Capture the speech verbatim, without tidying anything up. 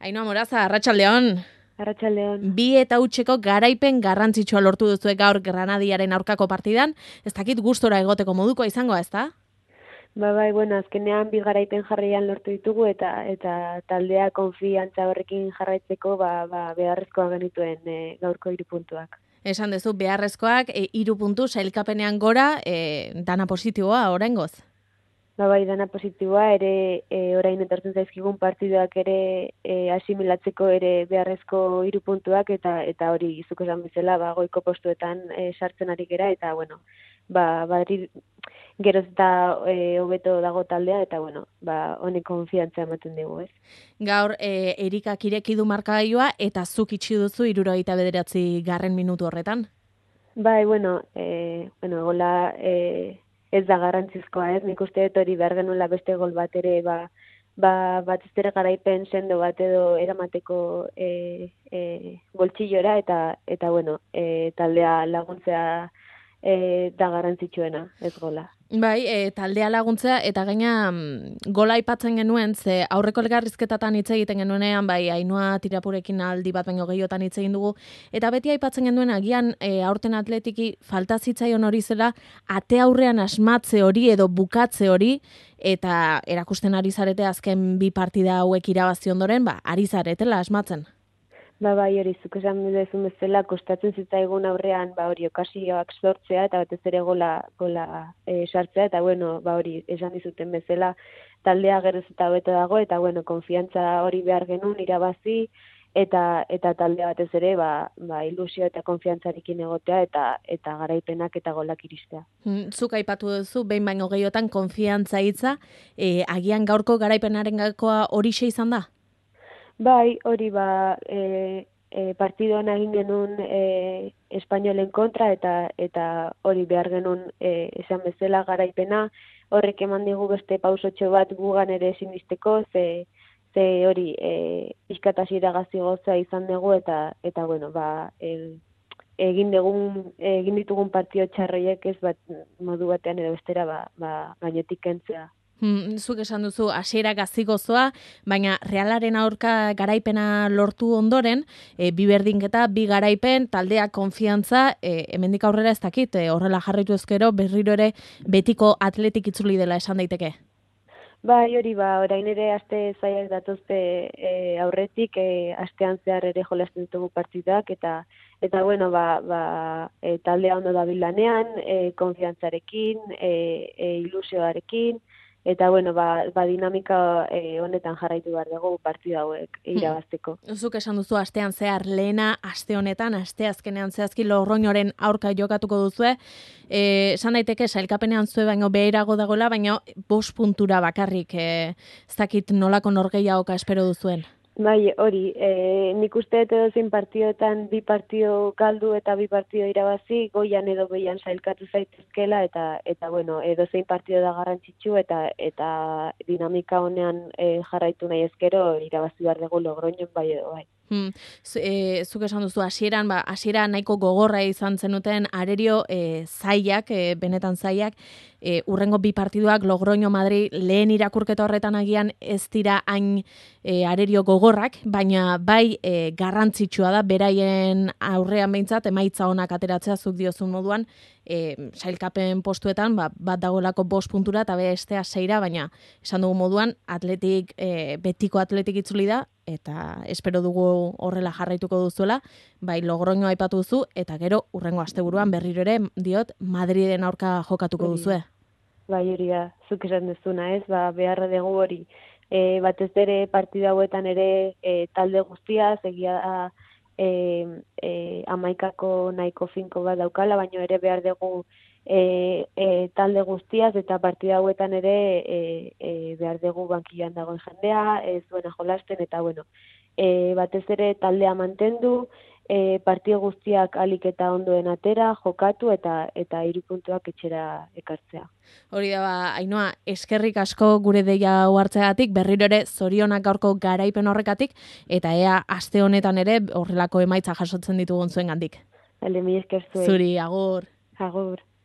Ainhoa Moraza, arratsaldeon. Arratsaldeon. Bi eta hutseko garaipen garrantzitsua lortu duzu gaur Granadiaren aurkako partidan. Ez dakit gustora egoteko modukoa izangoa, ezta? Ba bai, bueno, azkenean bi garaipen jarraian lortu ditugu eta eta taldea konfiantza horrekin jarraitzeko ba, ba beharrezkoa genituen e, gaurko hiru puntuak. Esan duzu beharrezkoak e, hiru puntu sailkapenean gora, e, dana positiboa oraingoz. Ba bai, dana positiboa ere e, orain etortzen zaizkigun partiduak ere e, asimilatzeko ere beharrezko hiru puntuak eta eta hori zuk esan bezala ba goiko postuetan e, sartzen ari gera eta bueno, ba badri geroz eta hobeto e, dago taldea eta bueno, ba honek konfiantza ematen digu, ez? Gaur e, Erikak ireki du markagailua eta zuk itxi duzu hirurogeita bederatzi garren minutu horretan. Bai, bueno, e, bueno, gola e, ez da garrantzizkoa, ez? Nik uste dut hori behar genuela beste gol bat ere, ba, ba, bat ez ere garaipen sendo bat edo eramateko e, e, boltsillora, eta, eta bueno, e, taldea laguntzea e, da garrantzitsuena, ez gola. Bai, e, taldea laguntzea, eta gaina mm, gola aipatzen genuen, ze aurreko elgarrizketatan hitz egiten genuenean, bai, Ainhoa Tirapurekin aldi bat baino gehiotan hitz egin dugu, eta beti aipatzen genuen agian e, aurten atletiki falta zitzaion hori zela, ate aurrean asmatze hori edo bukatze hori, eta erakusten ari zarete azken bi partida hauek irabazi ondoren, ba, ari zaretela asmatzen. Ba bai, hori zuk esan duzun bezala kostatzen zitzaigun aurrean ba hori okasioak sortzea eta batez ere gola gola e, sartzea eta bueno, ba hori esan dizuten bezala taldea geroz eta hobeto dago eta bueno, konfiantza hori behar genuen irabazi eta eta taldea batez ere ba, ba ilusio eta konfiantzarekin egotea eta eta garaipenak eta golak iristea. Zuk aipatu duzu behin baino gehiotan konfiantza hitza, e, agian gaurko garaipenaren gakoa horixe izan da? Bai, hori ba, e, e, partidoan egin genuen e, Espainolen kontra eta eta hori behar genuen e, esan bezala garaipena, horrek eman digu beste pausotxo bat gugan ere sinisteko, ze, ze hori e, pixkatasiera gazigoza izan dugu eta eta bueno, ba, e, egin dugun, egin ditugun partio txarroiek ez bat modu batean edo bestera ba, ba, gainetik kentzea. Hmm, zuk esan duzu hasiera gazigozoa, baina Realaren aurka garaipena lortu ondoren, e, bi berdinketa, bi garaipen, taldea konfiantza, e, hemendik aurrera ez dakit, e, horrela jarraitu ezkero berriro ere betiko atletik itzuli dela esan daiteke. Bai, hori ba, orain ere aste zaiak datozte e, aurretik, e, astean zehar ere jolasten ditugu partidak, eta eta bueno, ba, ba, e, taldea ondo dabil lanean, e, konfiantzarekin, e, e, ilusioarekin, eta bueno, ba, ba dinamika e, honetan jarraitu behar dugu partida hauek irabazteko. Zuk esan duzu astean zehar lehena, aste honetan, aste azkenean zehazki Logroñoren aurka jokatuko duzue. Eh, esan daiteke sailkapenean zue baino beherago dagoela, baina bost puntura bakarrik, eh, ez dakit nolako norgehiagoka espero duzuen. Bai, hori, e, nik uste edo zein partioetan bi partio galdu eta bi partio irabazi, goian edo behian sailkatu zaitezkela eta eta bueno, edo zein partio da garrantzitsu eta eta dinamika honean e, jarraitu nahi ezkero irabazi behar dugu Logroñon bai edo bai. Hmm. E, zuk esan duzu hasieran, ba, hasiera nahiko gogorra izan zenuten arerio e, zaiak, e, benetan zaiak, e, urrengo bi partiduak Logroño Madrid lehen irakurketa horretan agian ez dira hain e, arerio gogorrak, baina bai e, garrantzitsua da beraien aurrean behintzat emaitza onak ateratzea zuk diozun moduan, e, sailkapen postuetan ba, bat dagoelako bost puntura eta bestea seira, baina esan dugu moduan atletik, e, betiko atletik itzuli da, eta espero dugu horrela jarraituko duzuela, bai Logroño aipatu duzu, eta gero urrengo asteburuan berriro ere diot Madriden aurka jokatuko duzue. Bai, hori da, zuk esan duzuna ez, ba, beharra dugu hori. E, batez ere partida hauetan ere e, talde guztia, egia da e, e, amaikako nahiko finko bat daukala, baina ere behar dugu E, e, talde guztiaz eta partida hauetan ere e, e, behar dugu bankian dagoen jendea, ez duena jolasten eta bueno, e, batez ere taldea mantendu, e, partida guztiak alik eta ondoen atera, jokatu eta eta hiru puntuak etxera ekartzea. Hori da, ba, Ainhoa, eskerrik asko gure deia hau hartzeagatik, berriro ere zorionak gaurko garaipen horrekatik, eta ea aste honetan ere horrelako emaitza jasotzen ditugun zuen gandik. Hale, mi esker zuen. Zuri, agur. Agur.